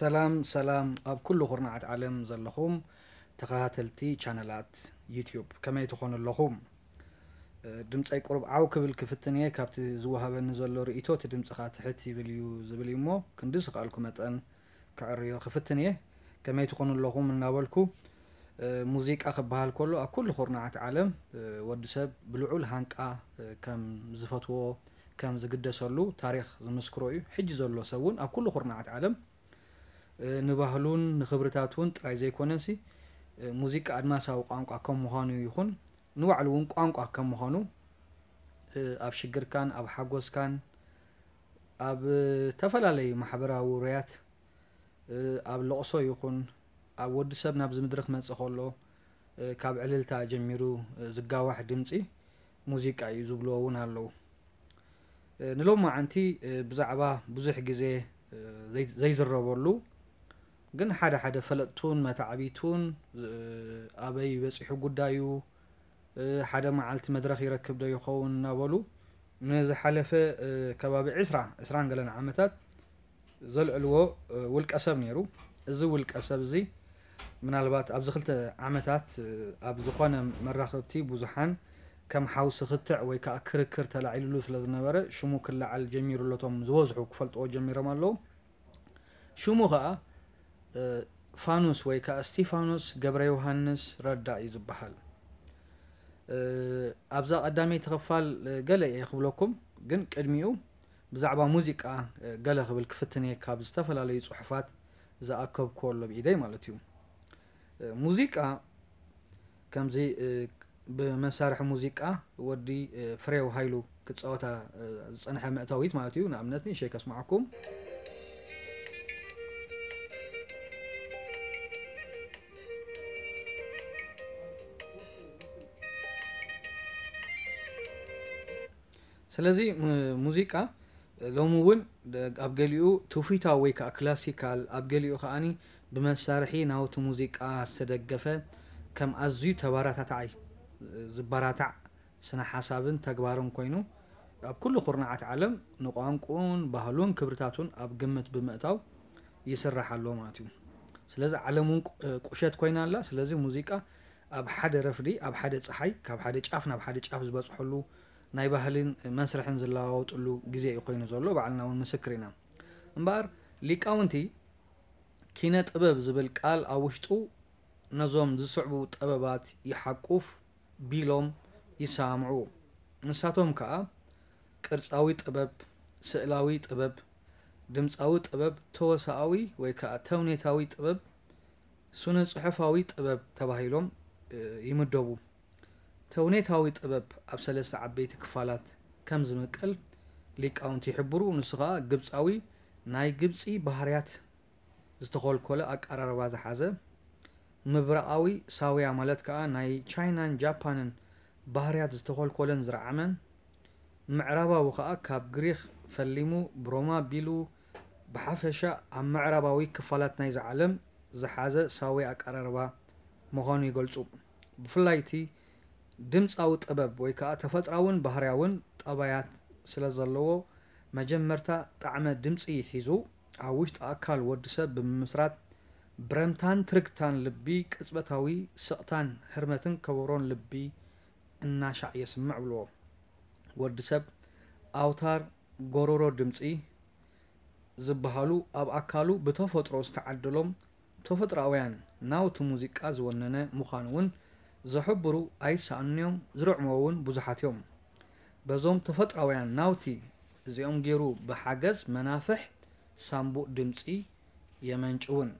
ሰላም ሰላም ኣብ ኩሉ ኩርናዓት ዓለም ዘለኹም ተኸታተልቲ ቻነላት ዩትዩብ ከመይ ትኾኑ ኣለኹም? ድምፀይ ቁሩብ ዓው ክብል ክፍትን እየ። ካብቲ ዝወሃበኒ ዘሎ ርእይቶ እቲ ድምፂ ኸዓ ትሕት ይብል እዩ ዝብል እዩ እሞ ክንዲ ዝኸኣልኩ መጠን ከዕርዮ ክፍትን እየ። ከመይ ትኾኑ ኣለኹም እናበልኩ፣ ሙዚቃ ክበሃል ከሎ ኣብ ኩሉ ኩርናዓት ዓለም ወዲ ሰብ ብልዑል ሃንቃ ከም ዝፈትዎ ከም ዝግደሰሉ ታሪኽ ዝምስክሮ እዩ። ሕጂ ዘሎ ሰብ እውን ኣብ ኩሉ ኩርናዓት ዓለም ንባህሉን ንኽብርታቱን ጥራይ ዘይኮነሲ ሙዚቃ ኣድማሳዊ ቋንቋ ከም ምዃኑ ይኹን ንባዕሉ እውን ቋንቋ ከም ምዃኑ ኣብ ሽግርካን ኣብ ሓጎስካን ኣብ ተፈላለዩ ማሕበራዊ ውሩያት ኣብ ለቕሶ ይኹን ኣብ ወዲ ሰብ ናብዚ ምድሪ ክመጽእ ከሎ ካብ ዕልልታ ጀሚሩ ዝጋዋሕ ድምጺ ሙዚቃ እዩ ዝብልዎ እውን ኣለዉ። ንሎማዓንቲ ብዛዕባ ብዙሕ ግዜ ዘይዝረበሉ ግን ሓደ ሓደ ፈለጥቱን መታዕቢቱን ኣበይ በጺሑ ጉዳዩ፣ ሓደ መዓልቲ መድረኽ ይረክብ ዶ ይኸውን እናበሉ ንዝሓለፈ ከባቢ ዕስራ ዕስራን ገለን ዓመታት ዘልዕልዎ ውልቀ ሰብ ነይሩ። እዚ ውልቀ ሰብ እዚ ምናልባት ኣብዚ ክልተ ዓመታት ኣብ ዝኾነ መራኸብቲ ብዙሓን ከም ሓውሲ ክትዕ ወይ ከዓ ክርክር ተላዒሉሉ ስለ ዝነበረ ሽሙ ክለዓል ጀሚሩ ኣሎ። እቶም ዝበዝሑ ክፈልጥዎ ጀሚሮም ኣለዉ። ሽሙ ከዓ ፋኑስ ወይ ከዓ እስቲፋኖስ ገብረ ዮሃንስ ረዳ እዩ ዝበሃል። ኣብዛ ቀዳመይቲ ክፋል ገለ እየ ክብለኩም፣ ግን ቅድሚኡ ብዛዕባ ሙዚቃ ገለ ክብል ክፍትን እየ ካብ ዝተፈላለዩ ፅሑፋት ዝኣከብክዎ ኣሎ ብኢደይ ማለት እዩ። ሙዚቃ ከምዚ ብመሳርሒ ሙዚቃ ወዲ ፍሬው ሃይሉ ክፃወታ ዝፀንሐ መእታዊት ማለት እዩ። ንኣብነት ንእሸይ ከስማዓኩም። ስለዚ ሙዚቃ ሎሚ እውን ኣብ ገሊኡ ትውፊታዊ ወይ ከዓ ክላሲካል፣ ኣብ ገሊኡ ከዓኒ ብመሳርሒ ናውቲ ሙዚቃ ዝተደገፈ ከም ኣዝዩ ተባራታታዓይ ዝበራታዕ ስነ ሓሳብን ተግባርን ኮይኑ ኣብ ኩሉ ኩርናዓት ዓለም ንቋንቁን ባህሉን ክብርታቱን ኣብ ግምት ብምእታው ይስራሕ ኣሎ ማለት እዩ። ስለዚ ዓለም እውን ቁሸት ኮይና ኣላ። ስለዚ ሙዚቃ ኣብ ሓደ ረፍዲ ኣብ ሓደ ፀሓይ ካብ ሓደ ጫፍ ናብ ሓደ ጫፍ ዝበፅሐሉ ናይ ባህልን መስርሕን ዝለዋወጥሉ ግዜ እዩ ኮይኑ ዘሎ። ባዕልና እውን ምስክር ኢና። እምበኣር ሊቃውንቲ ኪነ ጥበብ ዝብል ቃል ኣብ ውሽጡ ነዞም ዝስዕቡ ጥበባት ይሓቁፍ ቢሎም ይሰማምዑ። ንሳቶም ከዓ ቅርፃዊ ጥበብ፣ ስእላዊ ጥበብ፣ ድምፃዊ ጥበብ፣ ተወሳኣዊ ወይ ከዓ ተውኔታዊ ጥበብ፣ ስነ ፅሑፋዊ ጥበብ ተባሂሎም ይምደቡ። ተውኔታዊ ጥበብ ኣብ ሰለስተ ዓበይቲ ክፋላት ከም ዝምቀል ሊቃውንቲ ይሕብሩ። ንሱ ከዓ ግብፃዊ ናይ ግብፂ ባህርያት ዝተኾልኮለ ኣቀራርባ ዝሓዘ፣ ምብራቓዊ ሳውያ ማለት ከዓ ናይ ቻይናን ጃፓንን ባህርያት ዝተኾልኮለን ዝረዓመን፣ ምዕራባዊ ከዓ ካብ ግሪኽ ፈሊሙ ብሮማ ኣቢሉ ብሓፈሻ ኣብ ምዕራባዊ ክፋላት ናይዛ ዓለም ዝሓዘ ሳውያ ኣቀራርባ ምዃኑ ይገልፁ። ብፍላይ እቲ ድምፃዊ ጥበብ ወይ ከዓ ተፈጥራውን ባህርያውን ጠባያት ስለ ዘለዎ መጀመርታ ጣዕመ ድምፂ ሒዙ ኣብ ውሽጢ ኣካል ወዲ ሰብ ብምምስራት ብረምታን ትርግታን ልቢ ቅፅበታዊ ስቕታን ህርመትን ከበሮን ልቢ እናሻዕ የስምዕ ብልዎ። ወዲ ሰብ ኣውታር ጎሮሮ ድምፂ ዝበሃሉ ኣብ ኣካሉ ብተፈጥሮ ዝተዓደሎም ተፈጥሮኣውያን ናውቲ ሙዚቃ ዝወነነ ምዃኑ እውን ዝሕብሩ ኣይሰኣኑን እዮም፣ ዝርዕምዎ እውን ብዙሓት እዮም። በዞም ተፈጥሮኣውያን ናውቲ እዚኦም ገይሩ ብሓገዝ መናፍሕ ሳምቡእ ድምፂ የመንጭውን።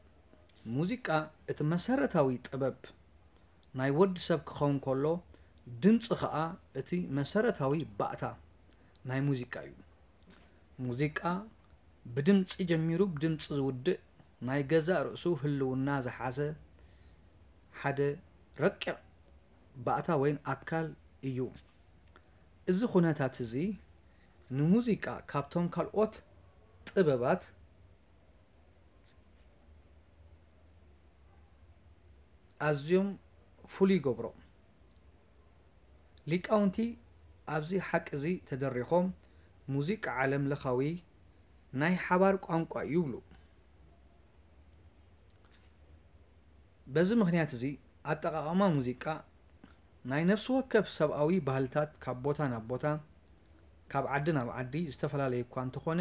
ሙዚቃ እቲ መሰረታዊ ጥበብ ናይ ወዲ ሰብ ክኸውን ከሎ ድምፂ ኸዓ እቲ መሰረታዊ ባእታ ናይ ሙዚቃ እዩ። ሙዚቃ ብድምፂ ጀሚሩ ብድምፂ ዝውድእ ናይ ገዛእ ርእሱ ህልውና ዝሓዘ ሓደ ረቂቕ ባእታ ወይን ኣካል እዩ። እዚ ኩነታት እዚ ንሙዚቃ ካብቶም ካልኦት ጥበባት ኣዝዮም ፍሉይ ይገብሮ። ሊቃውንቲ ኣብዚ ሓቂ እዚ ተደሪኾም ሙዚቃ ዓለም ለኻዊ ናይ ሓባር ቋንቋ እዩ ይብሉ። በዚ ምኽንያት እዚ ኣጠቓቕማ ሙዚቃ ናይ ነፍሲ ወከፍ ሰብኣዊ ባህልታት ካብ ቦታ ናብ ቦታ፣ ካብ ዓዲ ናብ ዓዲ ዝተፈላለየ እኳ እንተኾነ፣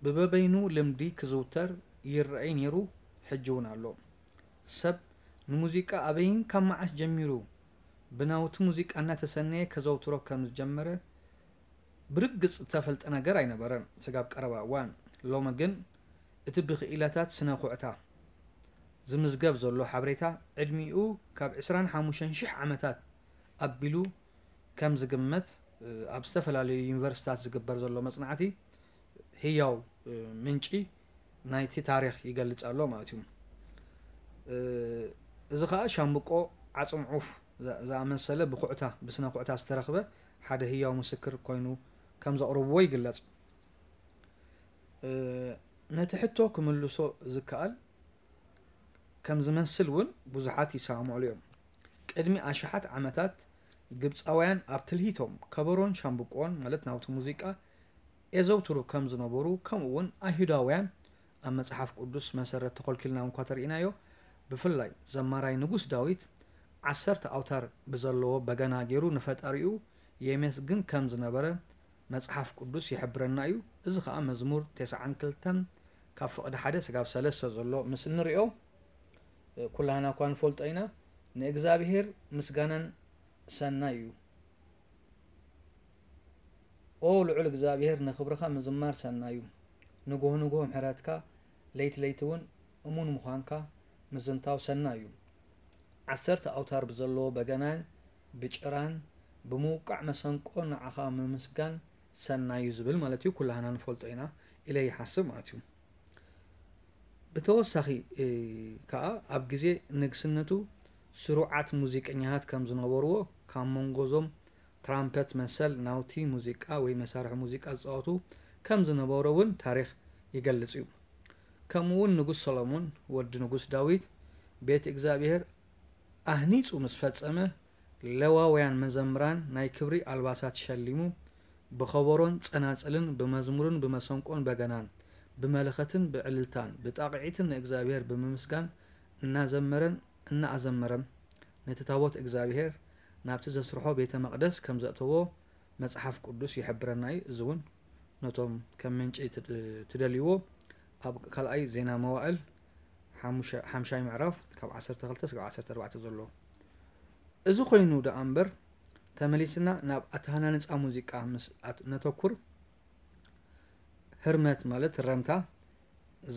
ብበበይኑ ልምዲ ክዝውተር ይረኣይ ነይሩ፣ ሕጂ እውን ኣሎ። ሰብ ንሙዚቃ ኣበይን ካብ መዓስ ጀሚሩ ብናውቲ ሙዚቃ እናተሰነየ ከዘውትሮ ከም ዝጀመረ ብርግጽ እተፈልጠ ነገር ኣይነበረን ስጋብ ቀረባ እዋን። ሎሚ ግን እቲ ብክኢላታት ስነ ኩዕታ ዝምዝገብ ዘሎ ሓበሬታ ዕድሚኡ ካብ ዕስራን ሓሙሽተን ሽሕ ዓመታት ኣቢሉ ከም ዝግመት ኣብ ዝተፈላለዩ ዩኒቨርሲታት ዝግበር ዘሎ መጽናዕቲ ህያው ምንጪ ናይቲ ታሪኽ ይገልጽ ኣሎ ማለት እዩ። እዚ ኸኣ ሻምብቆ ዓጽም ዑፍ ዝኣመሰለ ብኩዕታ ብስነ ኩዕታ ዝተረኽበ ሓደ ህያው ምስክር ኮይኑ ከም ዘቕርብዎ ይግለጽ። ነቲ ሕቶ ክምልሶ ዝከኣል ከም ዝመስል እውን ብዙሓት ይሰማምዕሉ እዮም። ቅድሚ ኣሽሓት ዓመታት ግብጻውያን ኣብ ትልሂቶም ከበሮን ሻምብቆን ማለት ናውቲ ሙዚቃ የዘውትሩ ከም ዝነበሩ ከምኡ እውን ኣይሁዳውያን ኣብ መጽሓፍ ቅዱስ መሰረት ተኾልኪልና እንኳ ተርኢናዮ ብፍላይ ዘማራይ ንጉስ ዳዊት ዓሰርተ ኣውታር ብዘለዎ በገና ገይሩ ንፈጣሪኡ የመስግን ከም ዝነበረ መጽሓፍ ቅዱስ ይሕብረና እዩ። እዚ ኸኣ መዝሙር ተስዓን ክልተን ካብ ፍቕዲ ሓደ ስጋብ ሰለስተ ዘሎ ምስ እንሪኦ ኩላህና እኳ ንፈልጦ ኢና። ንእግዚኣብሔር ምስጋናን ሰናይ እዩ። ኦ ልዑል እግዚኣብሔር ንኽብርኻ ምዝማር ሰናይ እዩ። ንግሆ ንግሆ ምሕረትካ ለይቲ ለይቲ እውን እሙን ምዃንካ ምዝንታው ሰናይ እዩ። ዓሰርተ ኣውታር ብዘለዎ በገናን ብጭራን ብምውቃዕ መሰንቆ ንዓኻ ምምስጋን ሰናይ እዩ ዝብል ማለት እዩ። ኩላህና ንፈልጦ ኢና ኢለ ይሓስብ ማለት እዩ። ብተወሳኺ ከኣ ኣብ ግዜ ንግስነቱ ስሩዓት ሙዚቀኛታት ከም ዝነበርዎ ካብ መንጎ እዞም ትራምፐት መሰል ናውቲ ሙዚቃ ወይ መሳርሒ ሙዚቃ ዝጻወቱ ከም ዝነበሮ እውን ታሪኽ ይገልጽ እዩ። ከምኡ እውን ንጉስ ሰሎሞን ወዲ ንጉስ ዳዊት ቤት እግዚኣብሔር ኣህኒጹ ምስ ፈጸመ ሌዋውያን መዘምራን ናይ ክብሪ ኣልባሳት ሸሊሙ ብኸበሮን ጸናጽልን ብመዝሙርን ብመሰንቆን በገናን ብመለኸትን ብዕልልታን ብጣቕዒትን ንእግዚኣብሔር ብምምስጋን እናዘመረን እናኣዘመረን ነቲ ታቦት እግዚኣብሔር ናብቲ ዘስርሖ ቤተ መቕደስ ከም ዘእተዎ መጽሓፍ ቅዱስ ይሕብረና እዩ። እዚ እውን ነቶም ከም ምንጪ ትደልይዎ ኣብ ካልኣይ ዜና መዋእል ሓሙሻይ ምዕራፍ ካብ ዓሰርተ ክልተ ስጋብ ዓሰርተ ኣርባዕተ ዘሎ። እዚ ኮይኑ ደኣ እምበር ተመሊስና ናብ ኣተሃናንጻ ሙዚቃ ምስ ነተኩር ህርመት ማለት ረምታ፣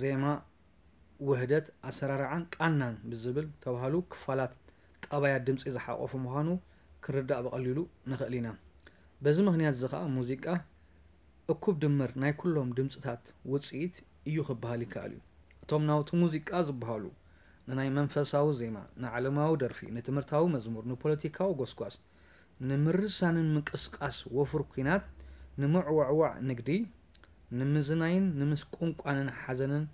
ዜማ፣ ውህደት፣ ኣሰራርዓን ቃናን ብዝብል ተባህሉ ክፋላት ጠባያት ድምጺ ዝሓቖፈ ምዃኑ ክንርዳእ ብቐሊሉ ንኽእል ኢና። በዚ ምኽንያት እዚ ኸኣ ሙዚቃ እኩብ ድምር ናይ ኩሎም ድምጽታት ውጽኢት እዩ ክበሃል ይከኣል እዩ። እቶም ናውቲ ሙዚቃ ዝበሃሉ ንናይ መንፈሳዊ ዜማ፣ ንዓለማዊ ደርፊ፣ ንትምህርታዊ መዝሙር፣ ንፖለቲካዊ ጎስጓስ፣ ንምርሳንን ምንቅስቓስ ወፍሪ ኲናት፣ ንምዕዋዕዋዕ ንግዲ፣ ንምዝናይን ንምስቁንቋንን ሓዘንን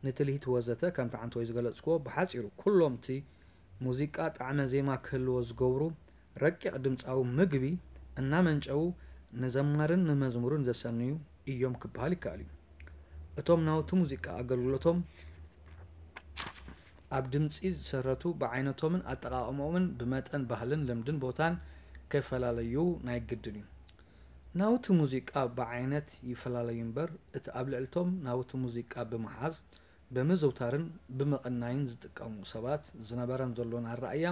ንትልሂት ወዘተ ከምቲ ዓንተወይ ዝገለጽክዎ ብሓጺሩ ኩሎም እቲ ሙዚቃ ጣዕመ ዜማ ክህልዎ ዝገብሩ ረቂቕ ድምጻዊ ምግቢ እናመንጨዉ ንዘማርን ንመዝሙርን ዘሰንዩ እዮም ክበሃል ይከኣል እዩ። እቶም ናውቲ ሙዚቃ ኣገልግሎቶም ኣብ ድምጺ ዝሰረቱ ብዓይነቶምን ኣጠቓቕምኦምን ብመጠን ባህልን ልምድን ቦታን ክፈላለዩ ናይ ግድን እዩ። ናውቲ ሙዚቃ ብዓይነት ይፈላለዩ እምበር እቲ ኣብ ልዕልቶም ናውቲ ሙዚቃ ብምሓዝ ብምዝውታርን ብምቕናይን ዝጥቀሙ ሰባት ዝነበረን ዘሎን ኣረኣእያ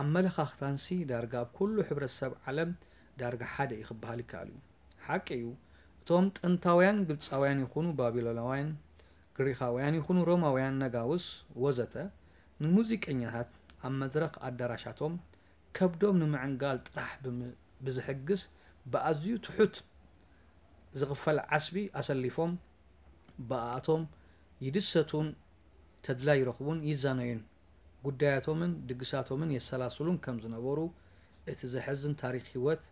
ኣመለኻኽታንሲ ዳርጋ ኣብ ኩሉ ሕብረተሰብ ዓለም ዳርጋ ሓደ እዩ ክበሃል ይከኣል እዩ። ሓቂ እዩ፣ እቶም ጥንታውያን ግብጻውያን ይኹኑ ባቢሎናውያን፣ ግሪኻውያን ይኹኑ ሮማውያን ነጋውስ ወዘተ ንሙዚቀኛታት ኣብ መድረኽ ኣዳራሻቶም ከብዶም ንምዕንጋል ጥራሕ ብዝሕግዝ ብኣዝዩ ትሑት ዝኽፈል ዓስቢ ኣሰሊፎም ብኣኣቶም ይድሰቱን ተድላ ይረኽቡን ይዛነዩን ጉዳያቶምን ድግሳቶምን የሰላስሉን ከም ዝነበሩ እቲ ዘሕዝን ታሪኽ ህይወት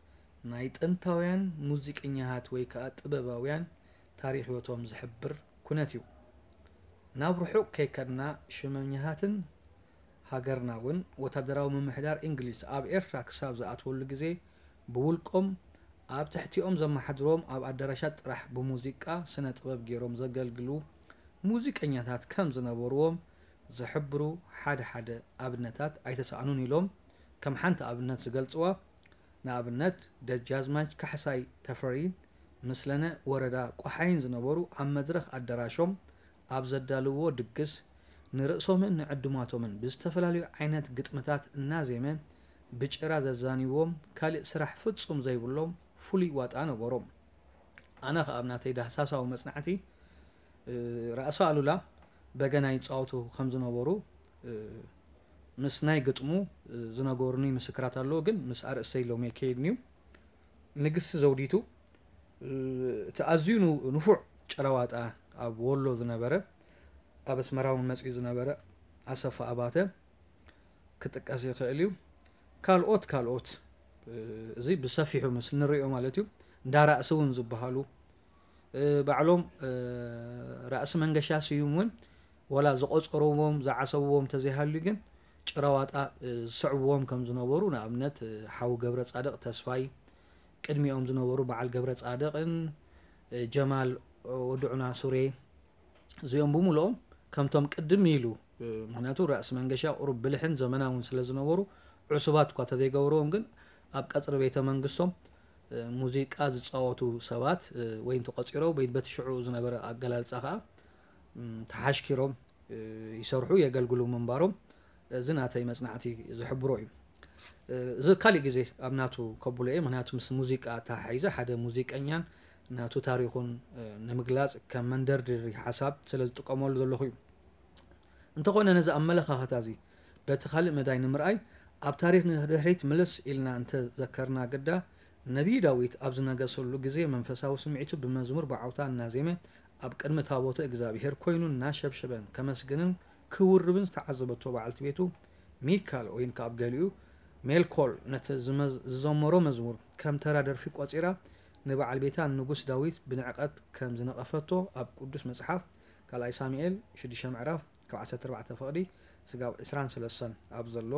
ናይ ጥንታውያን ሙዚቀኛታት ወይ ከኣ ጥበባውያን ታሪኽ ህይወቶም ዝሕብር ኩነት እዩ። ናብ ርሑቕ ከይከድና ሽመኛታትን ሃገርና እውን ወታደራዊ ምምሕዳር እንግሊዝ ኣብ ኤርትራ ክሳብ ዝኣትወሉ ግዜ ብውልቆም ኣብ ትሕቲኦም ዘመሓድርዎም ኣብ ኣዳራሻት ጥራሕ ብሙዚቃ ስነ ጥበብ ገይሮም ዘገልግሉ ሙዚቀኛታት ከም ዝነበርዎም ዝሕብሩ ሓደ ሓደ ኣብነታት ኣይተሳእኑን ኢሎም ከም ሓንቲ ኣብነት ዝገልጽዋ፣ ንኣብነት ደጃዝማች ካሕሳይ ተፈሪ ምስለነ ወረዳ ቆሓይን ዝነበሩ ኣብ መድረኽ ኣደራሾም ኣብ ዘዳልውዎ ድግስ ንርእሶምን ንዕዱማቶምን ብዝተፈላለዩ ዓይነት ግጥምታት እናዜመ ብጭራ ዘዛንይዎም ካልእ ስራሕ ፍጹም ዘይብሎም ፍሉይ ዋጣ ነበሮም። ኣነ ከኣ ኣብ ናተይ ዳህሳሳዊ መጽናዕቲ ራእሲ ኣሉላ በገና ይጻወቱ ከም ዝነበሩ ምስ ናይ ግጥሙ ዝነገሩኒ ምስክራት ኣለዉ፣ ግን ምስ ኣርእስተይ ሎሚ ኣይከይድን እዩ። ንግስቲ ዘውዲቱ እቲ ኣዝዩ ንፉዕ ጭራዋጣ ኣብ ወሎ ዝነበረ ኣብ ኣስመራ እውን መጺኡ ዝነበረ ኣሰፋ ኣባተ ክጥቀስ ይኽእል እዩ። ካልኦት ካልኦት እዚ ብሰፊሑ ምስ ንሪኦ ማለት እዩ እንዳ ራእሲ እውን ዝበሃሉ ባዕሎም ራእሲ መንገሻ ስዩም እውን ወላ ዝቆጸርዎም ዝዓሰብዎም ተዘይሃልዩ ግን ጭራዋጣ ዝስዕብዎም ከም ዝነበሩ ንኣብነት ሓው ገብረ ጻድቕ ተስፋይ ቅድሚኦም ዝነበሩ በዓል ገብረ ጻድቕን ጀማል ወድዑና ሱሬ እዚኦም ብምልኦም ከምቶም ቅድም ኢሉ ምክንያቱ ራእሲ መንገሻ ቁሩብ ብልሕን ዘመናውን ስለ ዝነበሩ ዕሱባት እኳ ተዘይገብርዎም ግን ኣብ ቀፅሪ ቤተ መንግስቶም ሙዚቃ ዝፃወቱ ሰባት ወይ ተቆፂሮም ወይ በቲ ሽዑ ዝነበረ ኣገላልፃ ከዓ ተሓሽኪሮም ይሰርሑ የገልግሉ ምንባሮም እዚ ናተይ መፅናዕቲ ዝሕብሮ እዩ። እዚ ካሊእ ግዜ ኣብ ናቱ ከብሎ እየ ምክንያቱ ምስ ሙዚቃ ተሓሒዘ ሓደ ሙዚቀኛን ናቱ ታሪኹን ንምግላፅ ከም መንደርደሪ ሓሳብ ስለ ዝጥቀመሉ ዘለኹ እዩ። እንተኾነ ነዚ ኣመለኻኽታ እዚ በቲ ካልእ መዳይ ንምርኣይ ኣብ ታሪኽ ንድሕሪት ምልስ ኢልና እንተ ዘከርና ግዳ ነቢይ ዳዊት ኣብ ዝነገሰሉ ግዜ መንፈሳዊ ስምዒቱ ብመዝሙር ብዓውታ እናዜመ ኣብ ቅድሚ ታቦተ እግዚኣብሔር ኮይኑ እናሸብሸበን ከመስግንን ክውርብን ዝተዓዘበቶ በዓልቲ ቤቱ ሚካል ወይን ከኣ ኣብ ገሊኡ ሜልኮል ነቲ ዝዘመሮ መዝሙር ከም ተራ ደርፊ ቆጺራ ንበዓል ቤታ ንጉስ ዳዊት ብንዕቀት ከም ዝነቐፈቶ ኣብ ቅዱስ መጽሓፍ ካልኣይ ሳሙኤል ሽዱሽተ ምዕራፍ ካብ ዓሰርተ ኣርባዕተ ፍቕዲ ስጋብ ዕስራን ሰለስተን ኣብ ዘሎ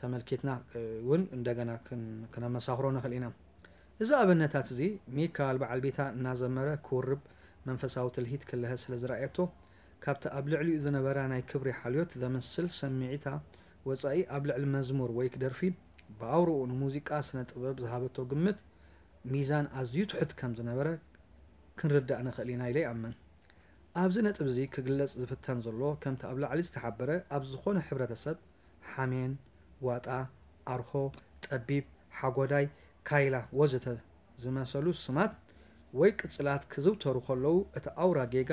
ተመልኪትና እውን እንደገና ክነመሳኽሮ ንኽእል ኢና። እዚ ኣብነታት እዚ ሚካል በዓል ቤታ እናዘመረ ክውርብ መንፈሳዊ ትልሂት ክልሀ ስለ ዝረኣየቶ ካብቲ ኣብ ልዕሊኡ ዝነበራ ናይ ክብሪ ሓልዮት ዘምስል ስምዒታ ወጻኢ ኣብ ልዕሊ መዝሙር ወይ ደርፊ ብኣውርኡ ንሙዚቃ ስነ ጥበብ ዝሃበቶ ግምት ሚዛን ኣዝዩ ትሑት ከም ዝነበረ ክንርዳእ ንኽእል ኢና ኢለ ይኣምን። ኣብዚ ነጥቢ እዚ ክግለጽ ዝፍተን ዘሎ ከምቲ ኣብ ላዕሊ ዝተሓበረ ኣብ ዝኾነ ሕብረተሰብ ሓሜን፣ ዋጣ፣ ኣርሆ፣ ጠቢብ፣ ሓጎዳይ፣ ካይላ ወዘተ ዝመሰሉ ስማት ወይ ቅጽላት ክዝውተሩ ከለዉ እቲ ኣውራ ጌጋ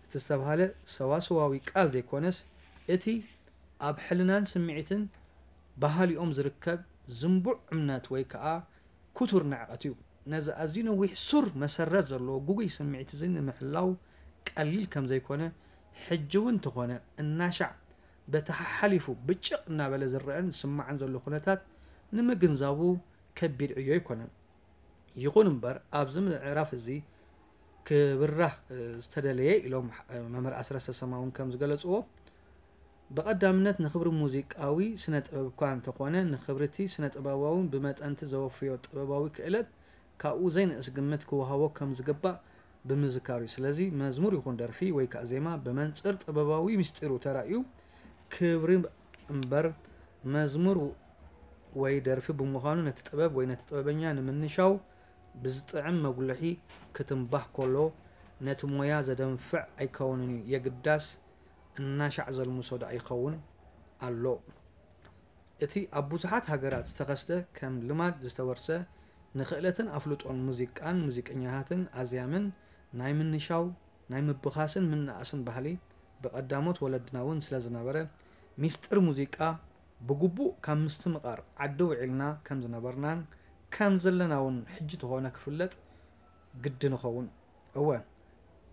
እቲ ዝተብሃለ ሰዋስዋዊ ቃል ዘይኮነስ እቲ ኣብ ሕልናን ስምዒትን ባህሊኦም ዝርከብ ዝንቡዕ እምነት ወይ ከኣ ክቱር ንዕቀት እዩ። ነዚ ኣዝዩ ነዊሕ ሱር መሰረት ዘለዎ ግጉይ ስምዒት እዚ ንምሕላው ቀሊል ከም ዘይኮነ ሕጂ እውን እንተኾነ እናሻዕ በቲ ሓሓሊፉ ብጭቕ እናበለ ዝረኣን ዝስማዕን ዘሎ ኩነታት ንምግንዛቡ ከቢድ ዕዮ ኣይኮነን። ይኹን እምበር ኣብዚ ምዕራፍ እዚ ክብራህ ዝተደለየ ኢሎም መምህር ኣስረስ ተሰማ እውን ከም ዝገለፅዎ ብቐዳምነት ንኽብሪ ሙዚቃዊ ስነ ጥበብ እኳ እንተኾነ ንኽብሪ እቲ ስነ ጥበባውን ብመጠንቲ ዘወፍዮ ጥበባዊ ክእለት ካብኡ ዘይንእስ ግምት ክወሃቦ ከም ዝግባእ ብምዝካር እዩ። ስለዚ መዝሙር ይኹን ደርፊ ወይ ከዓ ዜማ ብመንፅር ጥበባዊ ምስጢሩ ተራእዩ ክብሪ እምበር መዝሙር ወይ ደርፊ ብምዃኑ ነቲ ጥበብ ወይ ነቲ ጥበበኛ ንምንሻው ብዝጥዕም መጉልሒ ክትንባህ ከሎ ነቲ ሞያ ዘደንፍዕ ኣይከውንን እዩ፣ የግዳስ እናሻዕ ዘልምሶ ደኣ ይኸውን ኣሎ። እቲ ኣብ ብዙሓት ሃገራት ዝተኸስተ ከም ልማድ ዝተወርሰ ንኽእለትን ኣፍልጦን ሙዚቃን ሙዚቀኛታትን ኣዝያምን ናይ ምንሻው ናይ ምብኻስን ምንኣስን ባህሊ ብቐዳሞት ወለድና እውን ስለ ዝነበረ ሚስጥር ሙዚቃ ብግቡእ ካብ ምስትምቓር ዓዲ ውዒልና ከም ዝነበርናን ከም ዘለና እውን ሕጂ ተኾነ ክፍለጥ ግዲ ንኸውን። እወ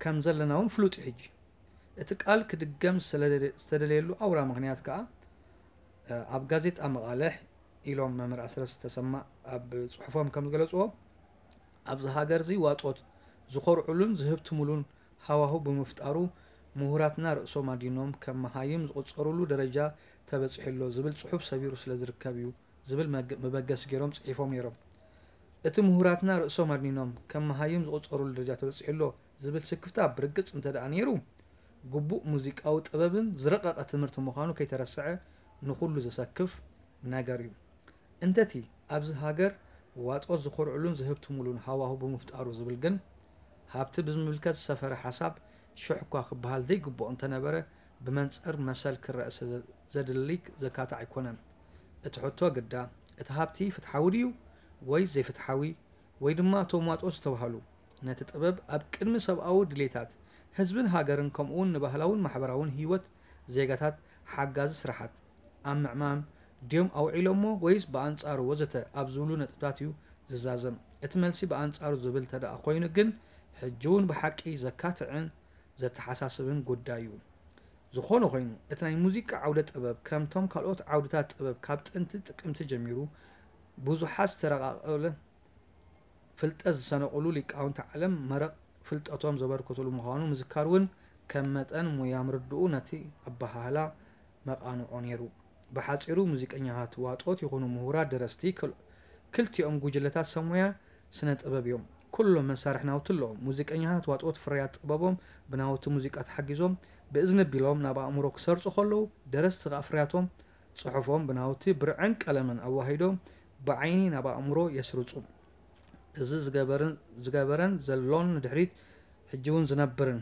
ከም ዘለና እውን ፍሉጥ እዩ ሕጂ። እቲ ቃል ክድገም ዝተደለየሉ ኣውራ ምኽንያት ከኣ ኣብ ጋዜጣ መቓልሕ ኢሎም መምህር ኣስረስ ተሰማ ኣብ ጽሑፎም ከም ዝገለጽዎ ኣብዚ ሃገር እዚ ዋጦት ዝኾርዑሉን ዝህብትሙሉን ሃዋሁ ብምፍጣሩ ምሁራትና ርእሶም ኣዲኖም ከም መሃይም ዝቑጸሩሉ ደረጃ ተበጺሑ ኣሎ ዝብል ጽሑፍ ሰቢሩ ስለ ዝርከብ እዩ ዝብል መበገሲ ገይሮም ጽሒፎም ነይሮም። እቲ ምሁራትና ርእሶም ኣድኒኖም ከም መሃይም ዝቑጸሩሉ ደረጃ ተበጺሑ ኣሎ ዝብል ስክፍታ ብርግጽ እንተ ደኣ ነይሩ ግቡእ ሙዚቃዊ ጥበብን ዝረቐቐ ትምህርቲ ምዃኑ ከይተረስዐ ንኹሉ ዘሰክፍ ነገር እዩ። እንተቲ ኣብዚ ሃገር ዋጦት ዝኾርዕሉን ዝህብትሙሉን ሃዋሁ ብምፍጣሩ ዝብል ግን፣ ሃብቲ ብዝምልከት ዝሰፈረ ሓሳብ ሽሕ እኳ ክበሃል ዘይግብኦ እንተነበረ፣ ብመንጽር መሰል ክረአ ስለ ዘድሊ ዘካትዕ ኣይኮነን። እቲ ሕቶ ግዳ፣ እቲ ሃብቲ ፍትሓዊ ድዩ ወይስ ዘይፍትሓዊ? ወይ ድማ እቶም ዋጦት ዝተባህሉ፣ ነቲ ጥበብ ኣብ ቅድሚ ሰብኣዊ ድሌታት ህዝብን ሃገርን ከምኡውን ንባህላውን ማሕበራውን ህይወት ዜጋታት ሓጋዚ ስራሓት ኣብ ምዕማም ድዮም ኣውዒሎሞ ወይስ ብኣንጻሩ ወዘተ ኣብ ዝብሉ ነጥብታት እዩ ዝዛዘም። እቲ መልሲ ብኣንጻሩ ዝብል ተደኣ ኮይኑ ግን ሕጂ እውን ብሓቂ ዘካትዕን ዘተሓሳስብን ጉዳይ እዩ። ዝኾነ ኮይኑ እቲ ናይ ሙዚቃ ዓውደ ጥበብ ከምቶም ካልኦት ዓውድታት ጥበብ ካብ ጥንቲ ጥቅምቲ ጀሚሩ ብዙሓት ዝተረቓቐለ ፍልጠት ዝሰነቑሉ ሊቃውንቲ ዓለም መረቕ ፍልጠቶም ዘበርከቱሉ ምዃኑ ምዝካር እውን ከም መጠን ሙያ ምርድኡ ነቲ ኣበሃህላ መቓንዖ ነይሩ። ብሓጺሩ ሙዚቀኛታት ዋጦት ይኹኑ ምሁራት ደረስቲ ክልቲኦም ጉጅለታት ሰብ ሞያ ስነ ጥበብ እዮም። ኩሎም መሳርሒ ናውቲ ኣለዎም። ሙዚቀኛታት ዋጦት ፍርያት ጥበቦም ብናውቲ ሙዚቃ ተሓጊዞም ብእዝኒ ኣቢሎም ናብ ኣእምሮ ክሰርጹ ከለዉ፣ ደረስቲ ከኣ ፍርያቶም ጽሑፎም ብናውቲ ብርዕን ቀለምን ኣዋሂዶም ብዓይኒ ናብ ኣእምሮ የስርጹ። እዚ ዝገበርን ዘሎን ንድሕሪት ሕጂ እውን ዝነብርን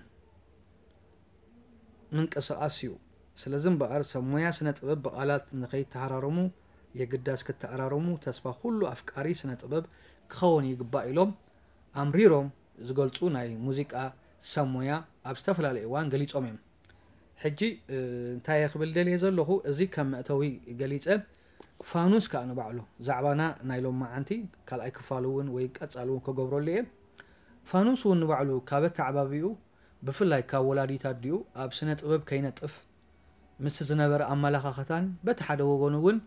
ምንቅስቓስ እዩ። ስለዚ እምበኣር ሰብ ሞያ ስነ ጥበብ ብቓላት ንኸይተሃራረሙ የግዳስ ክተኣራረሙ ተስፋ ኩሉ ኣፍቃሪ ስነ ጥበብ ክኸውን ይግባእ ኢሎም ኣምሪሮም ዝገልጹ ናይ ሙዚቃ ሰብ ሞያ ኣብ ዝተፈላለየ እዋን ገሊጾም እዮም። ሕጂ እንታይ እየ ክብል ደልየ ዘለኹ፣ እዚ ከም መእተዊ ገሊጸ፣ ፋኑስ ከኣ ንባዕሉ ዛዕባና ናይ ሎማዓንቲ ካልኣይ ክፋሉ እውን ወይ ቀጻሊ እውን ክገብረሉ እየ። ፋኑስ እውን ንባዕሉ ካብ ኣተዓባቢኡ ብፍላይ ካብ ወላዲት ኣዲኡ ኣብ ስነ ጥበብ ከይነጥፍ ምስቲ ዝነበረ ኣመለኻኽታን በቲ ሓደ ወገኑ እውን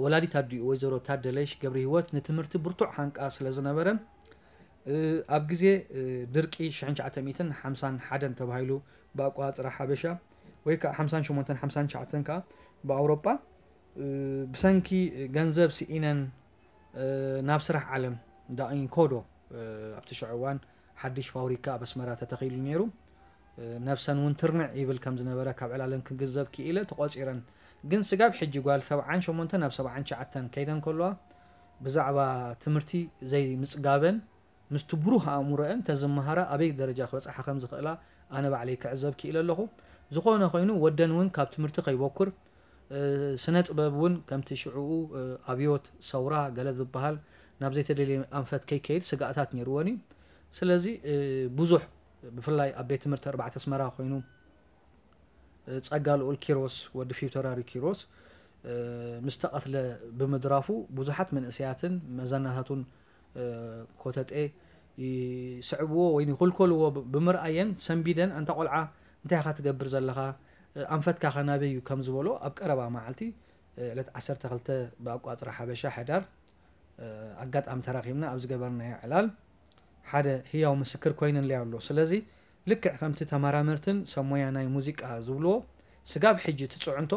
ወላዲት ኣዲኡ ወይዘሮ ታደለሽ ገብረሂወት ንትምህርቲ ብርቱዕ ሃንቃ ስለ ዝነበረ ኣብ ግዜ ድርቂ ሽሕን ትሽዓተ ሚእትን ሓምሳን ሓደን ተባሂሉ ብኣቋፅራ ሓበሻ ወይ ከዓ ሓምሳን ሸሞንተን ሓምሳን ትሽዓተን ከዓ ብኣውሮጳ ብሰንኪ ገንዘብ ስኢነን ናብ ስራሕ ዓለም ዳኢንኮዶ ኣብቲ ሽዑ እዋን ሓድሽ ፋብሪካ ኣብ ኣስመራ ተተኺሉ ነይሩ። ነብሰን እውን ትርንዕ ይብል ከም ዝነበረ ካብ ዕላለን ክግንዘብ ክኢለ ተቖጺረን። ግን ስጋብ ሕጂ ጓል ሰብዓን ሸሞንተን ናብ ሰብዓን ትሽዓተን ከይደን ከለዋ ብዛዕባ ትምህርቲ ዘይምጽጋበን ምስቲ ብሩህ ኣእምሮአን ተዝመሃራ ኣበይ ደረጃ ክበጽሓ ከም ዝኽእላ ኣነ ባዕለይ ክዕዘብ ክኢለ ኣለኹ። ዝኾነ ኮይኑ ወደን እውን ካብ ትምህርቲ ከይበኩር ስነ ጥበብ እውን ከምቲ ሽዕኡ ኣብዮት ሰውራ ገለ ዝበሃል ናብ ዘይተደልየ ኣንፈት ከይከይድ ስጋእታት ነይርወን እዩ። ስለዚ ብዙሕ ብፍላይ ኣብ ቤት ትምህርቲ ኣርባዕተ ኣስመራ ኮይኑ ጸጋ ልኡል ኪሮስ ወዲ ፊውተራሪ ኪሮስ ምስ ተቐትለ ብምድራፉ ብዙሓት መንእሰያትን መዘናታቱን ኮተጤ ይስዕብዎ ወይ ይኹልኮልዎ ብምርኣየን ሰንቢደን ኣንታ ቆልዓ እንታይ ኢኻ ትገብር ዘለኻ ኣንፈትካ ከ ናበይ እዩ ከም ዝበሎ ኣብ ቀረባ መዓልቲ ዕለት ዓሰርተ ክልተ ብኣቋፅራ ሓበሻ ሕዳር ኣጋጣሚ ተራኺብና ኣብ ዝገበርናዮ ዕላል ሓደ ህያው ምስክር ኮይነለይ ኣሎ። ስለዚ ልክዕ ከምቲ ተመራመርትን ሰብ ሞያ ናይ ሙዚቃ ዝብልዎ ስጋብ ሕጂ እቲ ፅዕንቶ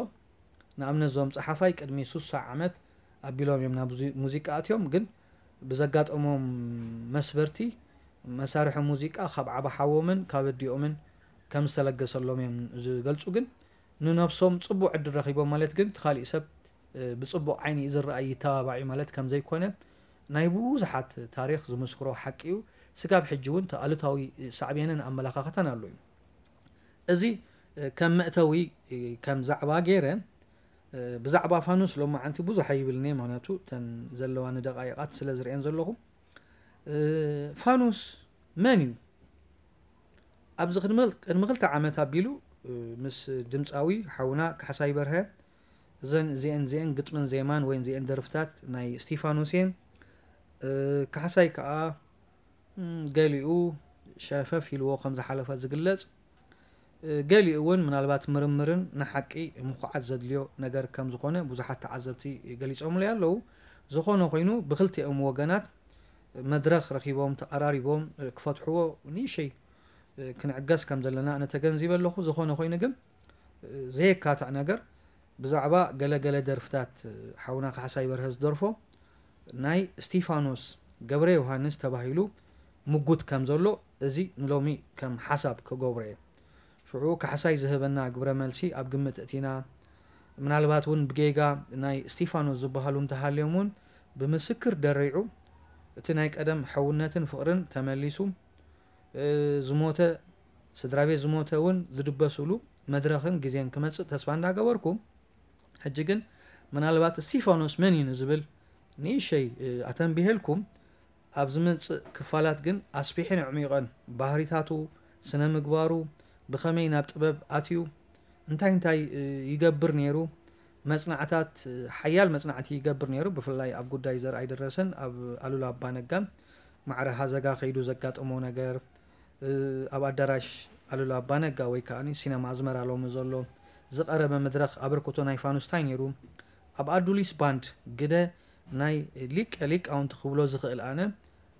ንኣብነት እዞም ፀሓፋይ ቅድሚ ሱሳ ዓመት ኣቢሎም እዮም ናብ ሙዚቃ ኣትዮም ግን ብዘጋጠሞም መስበርቲ መሳርሒ ሙዚቃ ካብ ዓባ ሓዎምን ካብ ኣዲኦምን ከም ዝተለገሰሎም እዮም ዝገልፁ ግን ንነብሶም ፅቡቅ ዕድል ረኺቦም ማለት ግን እቲ ካሊእ ሰብ ብፅቡቅ ዓይኒ እዩ ዝረኣይ ይተባባዕ እዩ ማለት ከም ዘይኮነ ናይ ብዙሓት ታሪኽ ዝምስክሮ ሓቂ እዩ። ስጋብ ሕጂ እውን እቲ ኣሉታዊ ሳዕቤንን ኣመለኻኽታን ኣሎ እዩ። እዚ ከም መእተዊ ከም ዛዕባ ገይረ ብዛዕባ ፋኑስ ሎማዓንቲ ብዙሕ ኣይብልን እየ፣ ምክንያቱ እተን ዘለዋኒ ደቃይቃት ስለ ዝርእየን ዘለኹ። ፋኑስ መን እዩ? ኣብዚ ቅድሚ ክልተ ዓመት ኣቢሉ ምስ ድምፃዊ ሓውና ካሕሳይ በርሀ እዘን እዚአን እዚአን ግጥምን ዜማን ወይ እዚአን ደርፍታት ናይ እስቲፋኖስ እየን። ካሕሳይ ከዓ ገሊኡ ሸፈፍ ኢልዎ ከም ዝሓለፈ ዝግለፅ፣ ገሊኡ እውን ምናልባት ምርምርን ንሓቂ ምኹዓት ዘድልዮ ነገር ከም ዝኾነ ብዙሓት ተዓዘብቲ ገሊፆምለይ ኣለዉ። ዝኾነ ኮይኑ ብክልቲኦም ወገናት መድረኽ ረኺቦም ተቐራሪቦም ክፈትሕዎ ንእሸይ ክንዕገስ ከም ዘለና ኣነ ተገንዚበ ኣለኹ። ዝኾነ ኮይኑ ግን ዘየካትዕ ነገር ብዛዕባ ገለ ገለ ደርፍታት ሓውና ካሕሳይ በርሀ ዝደርፎ ናይ እስቲፋኖስ ገብረ ዮሃንስ ተባሂሉ ምጉት ከም ዘሎ እዚ ንሎሚ ከም ሓሳብ ክገብሮ እየ። ሽዑ ካሕሳይ ዝህበና ግብረ መልሲ ኣብ ግምት እቲና፣ ምናልባት እውን ብጌጋ ናይ እስቲፋኖስ ዝበሃሉ እንተሃልዮም እውን ብምስክር ደሪዑ እቲ ናይ ቀደም ሕውነትን ፍቕርን ተመሊሱ፣ ዝሞተ ስድራ ቤት ዝሞተ እውን ዝድበስሉ መድረኽን ግዜን ክመፅእ ተስፋ እንዳገበርኩ፣ ሕጂ ግን ምናልባት እስቲፋኖስ መን እዩ ንዝብል ንእሸይ ኣተንቢሄልኩም፣ ኣብ ዝመጽእ ክፋላት ግን ኣስፊሕን ኣዕሚቐን ባህሪታቱ፣ ስነ ምግባሩ፣ ብኸመይ ናብ ጥበብ ኣትዩ፣ እንታይ እንታይ ይገብር ነይሩ፣ መጽናዕታት፣ ሓያል መጽናዕቲ ይገብር ነይሩ። ብፍላይ ኣብ ጉዳይ ዘርኣይ ደረሰን ኣብ ኣሉላ ኣባነጋን ማዕረ ሃዘጋ ከይዱ ዘጋጠሞ ነገር፣ ኣብ ኣዳራሽ ኣሉላ ኣባነጋ ወይ ከዓ ሲነማ ኣዝመራ ሎሚ ዘሎ ዝቐረበ መድረኽ ኣበርክቶ ናይ ፋኑስ እንታይ ነይሩ፣ ኣብ ኣዱሊስ ባንድ ግደ ናይ ሊቀ ሊቃውንቲ ክብሎ ዝኽእል ኣነ፣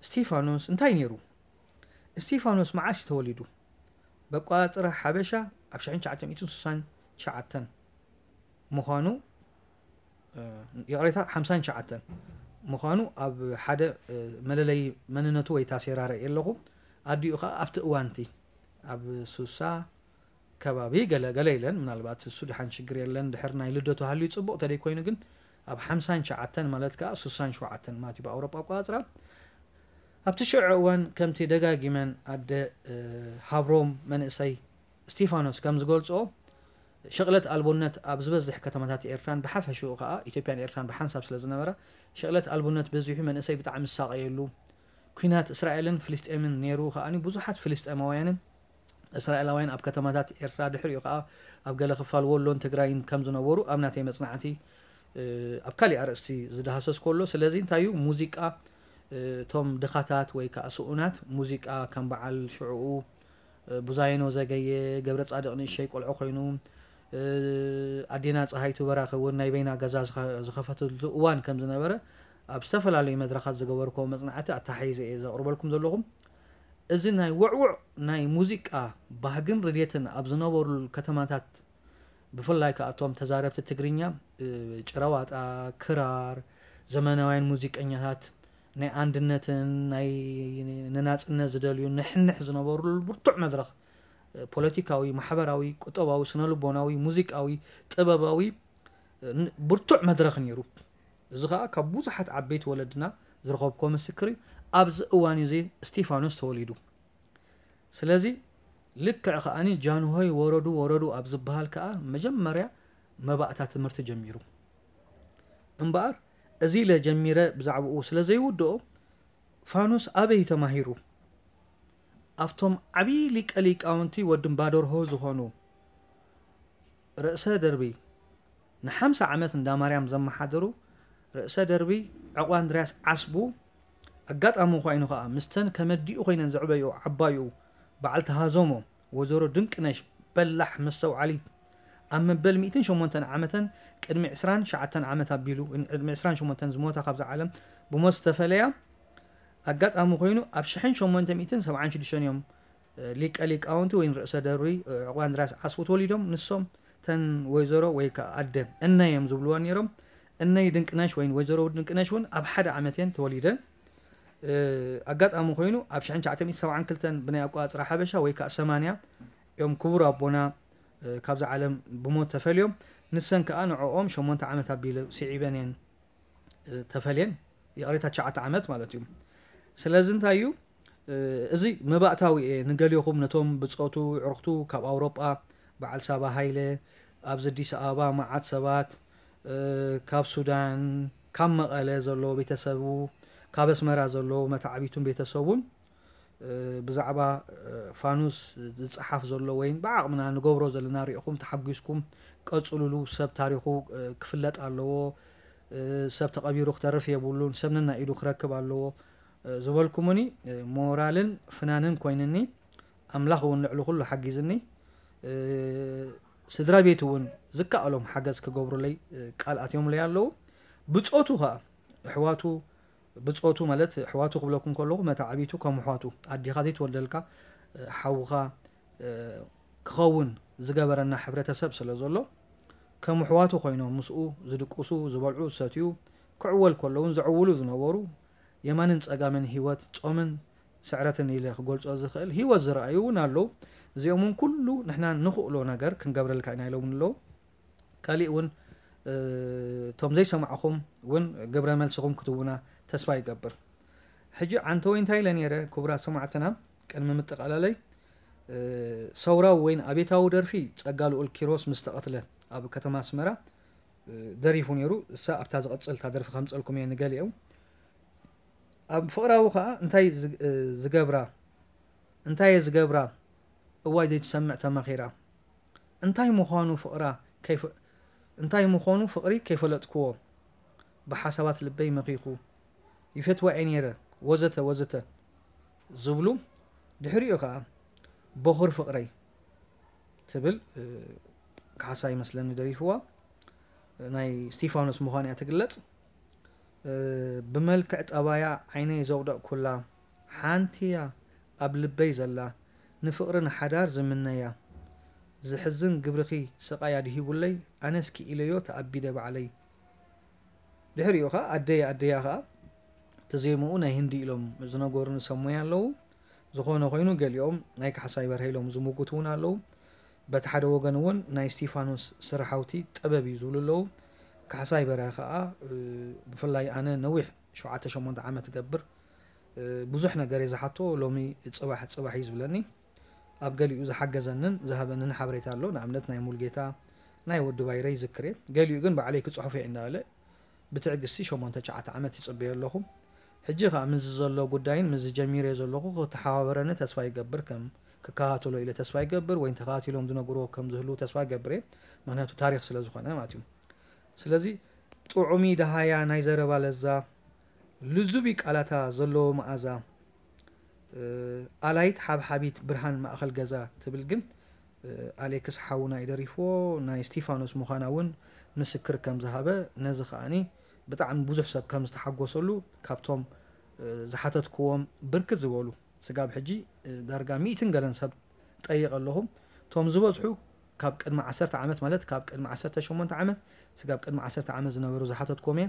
እስቲፋኖስ እንታይ ነይሩ? እስቲፋኖስ መዓስ እዩ ተወሊዱ? በቋፅራ ሓበሻ ኣብ ሽሕን ትሽዓተ ሚእትን ስሳን ትሽዓተን ምዃኑ፣ ይቕሬታ፣ ሓምሳን ትሽዓተን ምዃኑ ኣብ ሓደ መለለይ መንነቱ ወይ ታሴራ ርኢ ኣለኹ። ኣዲኡ ከዓ ኣብቲ እዋንቲ ኣብ ሱሳ ከባቢ ገለ ገለ ኢለን፣ ምናልባት እሱ ድሓን ሽግር የለን፣ ድሕር ናይ ልደቱ ሃልዩ ጽቡቕ ተደይ ኮይኑ ግን ኣብ ሓምሳን ትሽዓተን ማለት ከኣ ሱሳን ሸውዓተን ማለት እዩ ብኣውሮጳ ኣቆጻጽራ። ኣብቲ ሽዑ እዋን ከምቲ ደጋጊመን ኣደ ሃብሮም መንእሰይ እስቲፋኖስ ከም ዝገልጾ፣ ሽቕለት ኣልቦነት ኣብ ዝበዝሕ ከተማታት ኤርትራን ብሓፈሽኡ ከኣ ኢትዮጵያን ኤርትራን ብሓንሳብ ስለ ዝነበራ፣ ሽቕለት ኣልቦነት በዚሑ መንእሰይ ብጣዕሚ ዝሳቐየሉ፣ ኲናት እስራኤልን ፍልስጤምን ነይሩ ከኣ ብዙሓት ፍልስጤማውያንን እስራኤላውያን ኣብ ከተማታት ኤርትራ ድሕሪኡ ከኣ ኣብ ገለ ክፋል ወሎን ትግራይን ከም ዝነበሩ ኣብ ናተይ መጽናዕቲ ኣብ ካሊእ ኣርእስቲ ዝዳህሰስ ከሎ፣ ስለዚ እንታይ እዩ ሙዚቃ እቶም ድኻታት ወይ ከዓ ስኡናት ሙዚቃ ከም በዓል ሽዕኡ ቡዛይኖ ዘገየ፣ ገብረ ጻድቕ ንእሸይ ቆልዑ ኮይኑ፣ ኣዴና ፀሃይቱ በራኺ እውን ናይ በይና ገዛ ዝኸፈተሉ እዋን ከም ዝነበረ ኣብ ዝተፈላለዩ መድረኻት ዝገበርኮ መፅናዕቲ ኣተሓሒዘ እየ ዘቕርበልኩም ዘለኹም። እዚ ናይ ውዕውዕ ናይ ሙዚቃ ባህግን ርድየትን ኣብ ዝነበሩሉ ከተማታት ብፍላይ ከኣ እቶም ተዛረብቲ ትግርኛ ጭራዋጣ፣ ክራር፣ ዘመናውያን ሙዚቀኛታት ናይ ኣንድነትን ናይ ንናጽነት ዝደልዩ ንሕንሕ ዝነበሩሉ ብርቱዕ መድረኽ ፖለቲካዊ፣ ማሕበራዊ፣ ቁጠባዊ፣ ስነልቦናዊ፣ ሙዚቃዊ፣ ጥበባዊ ብርቱዕ መድረኽ ነይሩ። እዚ ከኣ ካብ ብዙሓት ዓበይቲ ወለድና ዝረኸብኮ ምስክር እዩ። ኣብዚ እዋን እዚ እስቲፋኖስ ተወሊዱ። ስለዚ ልክዕ ከኣኒ ጃንሆይ ወረዱ ወረዱ ኣብ ዝበሃል ከኣ መጀመርያ መባእታ ትምህርቲ ጀሚሩ። እምበኣር እዚ ኢለ ጀሚረ ብዛዕባኡ ስለ ዘይውድኦ ፋኑስ ኣበይ ተማሂሩ? ኣብቶም ዓብዪ ሊቀ ሊቃውንቲ ወዲ እምባደርሆ ዝኾኑ ርእሰ ደርቢ ንሓምሳ ዓመት እንዳ ማርያም ዘመሓደሩ ርእሰ ደርቢ ዕቑባንድርያስ ዓስቡ ኣጋጣሚ ኮይኑ ከኣ ምስተን ከመዲኡ ኮይነን ዘዕበይኦ ዓባይኡ በዓልቲ ሃዞሞ ወይዘሮ ድንቅነሽ በላሕ መስተውዓሊት ኣብ መበል ሚእትን ሸሞንተን ዓመተን ቅድሚ ዕስራን ትሽዓተን ዓመት ኣቢሉ ቅድሚ ዕስራን ሸሞንተን ዝሞታ ካብዛ ዓለም ብሞት ዝተፈለያ ኣጋጣሚ ኮይኑ ኣብ ሽሕን ሸሞንተ ሚእትን ሰብዓን ሽዱሽተን እዮም ሊቀ ሊቃውንቲ ወይን ርእሰ ደርቢ ዕቑባንድርያስ ዓስቡ ተወሊዶም። ንሶም ተን ወይዘሮ ወይ ከዓ ኣደ እነይ እዮም ዝብልዋ ነይሮም። እነይ ድንቅነሽ ወይን ወይዘሮ ድንቅነሽ እውን ኣብ ሓደ ዓመት እየን ተወሊደን። ኣጋጣሚ ኮይኑ ኣብ ሽሕን ትሽዓተ ሚእትን ሰብዓን ክልተን ብናይ ኣቆጻጽራ ሓበሻ ወይ ከዓ ሰማንያ እዮም ክቡር ኣቦና ካብዛ ዓለም ብሞት ተፈልዮም። ንሰን ከዓ ንዕኦም ሸሞንተ ዓመት ኣቢለ ስዒበን እየን ተፈልየን። ይቕሬታ፣ ትሽዓተ ዓመት ማለት እዩ። ስለዚ እንታይ እዩ እዚ መባእታዊ እየ ንገሊኹም ነቶም ብጾቱ ዕርኽቱ ካብ ኣውሮጳ በዓል ሳባ ሃይለ ኣብዚ ኣዲስ ኣበባ መዓት ሰባት ካብ ሱዳን ካብ መቐለ ዘሎ ቤተሰቡ ካብ ኣስመራ ዘሎ መተዓቢቱን ቤተሰቡን ብዛዕባ ፋኑስ ዝፀሓፍ ዘሎ ወይን ብዓቕምና ንገብሮ ዘለና ሪኢኹም ተሓጒስኩም ቀፅሉሉ። ሰብ ታሪኹ ክፍለጥ ኣለዎ። ሰብ ተቐቢሩ ክተርፍ የብሉን። ሰብ ነናይ ኢዱ ክረክብ ኣለዎ ዝበልኩምኒ ሞራልን ፍናንን ኮይንኒ። ኣምላኽ እውን ልዕሊ ኩሉ ሓጊዝኒ። ስድራ ቤት እውን ዝከኣሎም ሓገዝ ክገብሩለይ ቃል ኣትዮምለይ ኣለዉ። ብፆቱ ከዓ ኣሕዋቱ ብፆቱ ማለት ኣሕዋቱ ክብለኩም ከለኹ መታዕቢቱ ከም ኣሕዋቱ ኣዴኻ ዘይትወልደልካ ሓውኻ ክኸውን ዝገበረና ሕብረተሰብ ስለ ዘሎ ከም ኣሕዋቱ ኮይኖም ምስኡ ዝድቅሱ ዝበልዑ ዝሰትዩ ክዕወል ከለውን ዘዕውሉ ዝነበሩ የማንን ፀጋምን ህይወት ፆምን ስዕረትን ኢለ ክገልፆ ዝኽእል ህይወት ዝረኣዩ እውን ኣለዉ። እዚኦም እውን ኩሉ ንሕና ንኽእሎ ነገር ክንገብረልካ ኢና ኢሎም ኣለዉ። ካሊእ እውን እቶም ዘይሰማዕኹም እውን ግብረ መልስኹም ክትቡና ተስፋ ይገብር። ሕጂ ዓንተወይ እንታይ ኢለ ነይረ? ክቡራት ሰማዕትና፣ ቅድሚ ምጥቓላለይ፣ ሰውራዊ ወይን ኣቤታዊ ደርፊ ጸጋ ልኡል ኪሮስ ምስ ተቐትለ ኣብ ከተማ ኣስመራ ደሪፉ ነይሩ። እሳ ኣብታ ዝቐጽል እታ ደርፊ ከምጸልኩም እየ ንገሊኦም። ኣብ ፍቕራዊ ከኣ እንታይ ዝገብራ እንታይ እየ ዝገብራ? እዋይ ዘይትሰምዕ ተመኺራ። እንታይ ምዃኑ ፍቕራ እንታይ ምዃኑ ፍቕሪ ከይፈለጥክዎ፣ ብሓሳባት ልበይ መኺኹ፣ ይፈትዋ እየ ነይረ፣ ወዘተ ወዘተ ዝብሉ። ድሕሪኡ ኸኣ በኹር ፍቕረይ ትብል ካሕሳ ይመስለኒ ደሪፍዋ። ናይ ስቲፋኖስ ምዃን እያ ትግለጽ። ብመልክዕ ጠባያ ዓይነይ ዘውደቕኩላ ሓንቲ እያ ኣብ ልበይ ዘላ፣ ንፍቕሪ ንሓዳር ዝምነያ። ዝሕዝን ግብርኺ ስቓይ ኣድሂቡለይ፣ ኣነስ ክኢለዮ ተኣቢደ ባዕለይ። ድሕሪኡ ኸኣ ኣደይ ኣደያ ኸኣ ተዜምኡ ናይ ህንዲ ኢሎም ዝነገሩኒ ሰብ ሞያ ኣለዉ። ዝኾነ ኮይኑ ገሊኦም ናይ ካሕሳይ በርሀ ኢሎም ዝምጉቱ እውን ኣለዉ። በቲ ሓደ ወገን እውን ናይ እስቲፋኖስ ስራሓውቲ ጥበብ እዩ ዝብሉ ኣለዉ። ካሕሳይ በርሀ ኸኣ ብፍላይ ኣነ ነዊሕ ሸውዓተ ሸሞንተ ዓመት እገብር ብዙሕ ነገር እየ ዝሓቶ፣ ሎሚ ጽባሕ ጽባሕ እዩ ዝብለኒ። ኣብ ገሊኡ ዝሓገዘንን ዝሃበንን ሓበሬታ ኣሎ። ንኣብነት ናይ ሙልጌታ፣ ናይ ወዲ ባይረ ይዝክር እየ። ገሊኡ ግን ባዕለይ ክጽሕፎ እየ እንዳበለ ብትዕግስቲ ሸሞንተ ትሽዓተ ዓመት ይጽበዮ ኣለኹ። ሕጂ ከኣ ምስዚ ዘሎ ጉዳይን ምስዚ ጀሚረዮ ዘለኹ ክተሓባበረኒ ተስፋ ይገብር፣ ከም ክከታተሎ ኢለ ተስፋ ይገብር፣ ወይ ተኸታቲሎም ዝነግርዎ ከም ዝህልዉ ተስፋ ይገብር እየ። ምኽንያቱ ታሪኽ ስለ ዝኾነ ማለት እዩ። ስለዚ ጥዑሚ ደሃያ ናይ ዘረባ ለዛ፣ ልዙቢ ቃላታ ዘለዎ መኣዛ፣ ኣላይት ሓብሓቢት ብርሃን ማእኸል ገዛ ትብል ግን ኣሌክስ ሓውና እዩ ደሪፍዎ። ናይ እስቲፋኖስ ምዃና እውን ምስክር ከም ዝሃበ፣ ነዚ ከኣኒ ብጣዕሚ ብዙሕ ሰብ ከም ዝተሓጎሰሉ ካብቶም ዝሓተትክዎም ብርክት ዝበሉ ስጋብ ሕጂ ዳርጋ ሚእትን ገለን ሰብ ጠይቐ ኣለኹ። እቶም ዝበዝሑ ካብ ቅድሚ ዓሰርተ ዓመት፣ ማለት ካብ ቅድሚ ዓሰርተ ሸሞንተ ዓመት ስጋብ ቅድሚ ዓሰርተ ዓመት ዝነበሩ ዝሓተትክዎም እየ።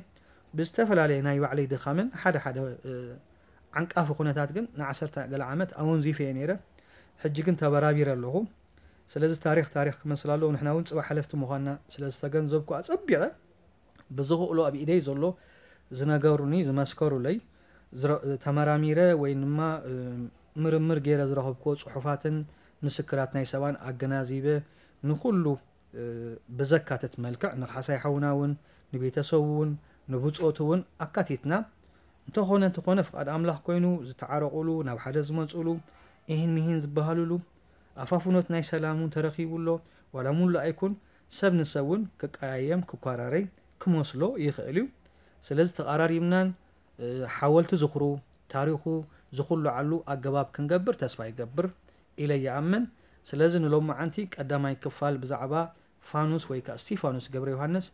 ብዝተፈላለየ ናይ ባዕለይ ድኻምን ሓደ ሓደ ዓንቃፊ ኩነታት ግን ንዓሰርተ ገለ ዓመት ኣወንዚፈ እየ ነይረ። ሕጂ ግን ተበራቢረ ኣለኹ። ስለዚ ታሪኽ ታሪኽ ክመስል ኣለዎ። ንሕና እውን ጽባሕ ሓለፍቲ ምዃንና ስለ ዝተገንዘብኩ ኣጸቢቐ ብዝኽእሎ ኣብ ኢደይ ዘሎ ዝነገሩኒ፣ ዝመስከሩለይ፣ ተመራሚረ ወይ ድማ ምርምር ገይረ ዝረኸብክዎ ጽሑፋትን ምስክራት ናይ ሰባን ኣገናዚበ ንኹሉ ብዘካትት መልክዕ ንካሕሳይ ሓውና እውን ንቤተሰቡ እውን ንብጾቱ እውን ኣካቲትና፣ እንተኾነ እንተኾነ ፍቓድ ኣምላኽ ኮይኑ ዝተዓረቑሉ፣ ናብ ሓደ ዝመጹሉ፣ ኢሂን ሚሂን ዝበሃሉሉ፣ ኣፋፍኖት ናይ ሰላም እውን ተረኺቡ ኣሎ። ዋላ ሙሉእ ኣይኩን፣ ሰብ ንሰብ እውን ክቀያየም ክኳራረይ ክመስሎ ይኽእል እዩ። ስለዚ ተቓራሪብናን ሓወልቲ ዝኽሩ ታሪኹ ዝኹልዓሉ ኣገባብ ክንገብር ተስፋ ይገብር ኢለ ይኣምን። ስለዚ ንሎማዓንቲ ቀዳማይ ክፋል ብዛዕባ ፋኑስ ወይ ከኣ እስቲፋኖስ ገብረ ዮሃንስ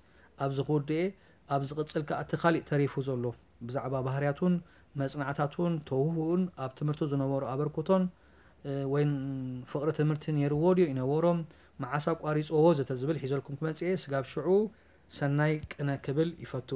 ኣብዚ ክውድእ እየ። ኣብ ዝቕጽል ከኣ እቲ ካሊእ ተሪፉ ዘሎ ብዛዕባ ባህርያቱን መጽናዕታቱን ተውህቡኡን ኣብ ትምህርቱ ዝነበሮ ኣበርክቶን ወይ ፍቕሪ ትምህርቲ ነይርዎ ድዩ ይነበሮም፣ መዓስ ኣቋሪጽዎ ወዘተ ዝብል ሒዘልኩም ክመጽእ እየ። ስጋብ ሽዑ ሰናይ ቅነ ክብል ይፈቱ።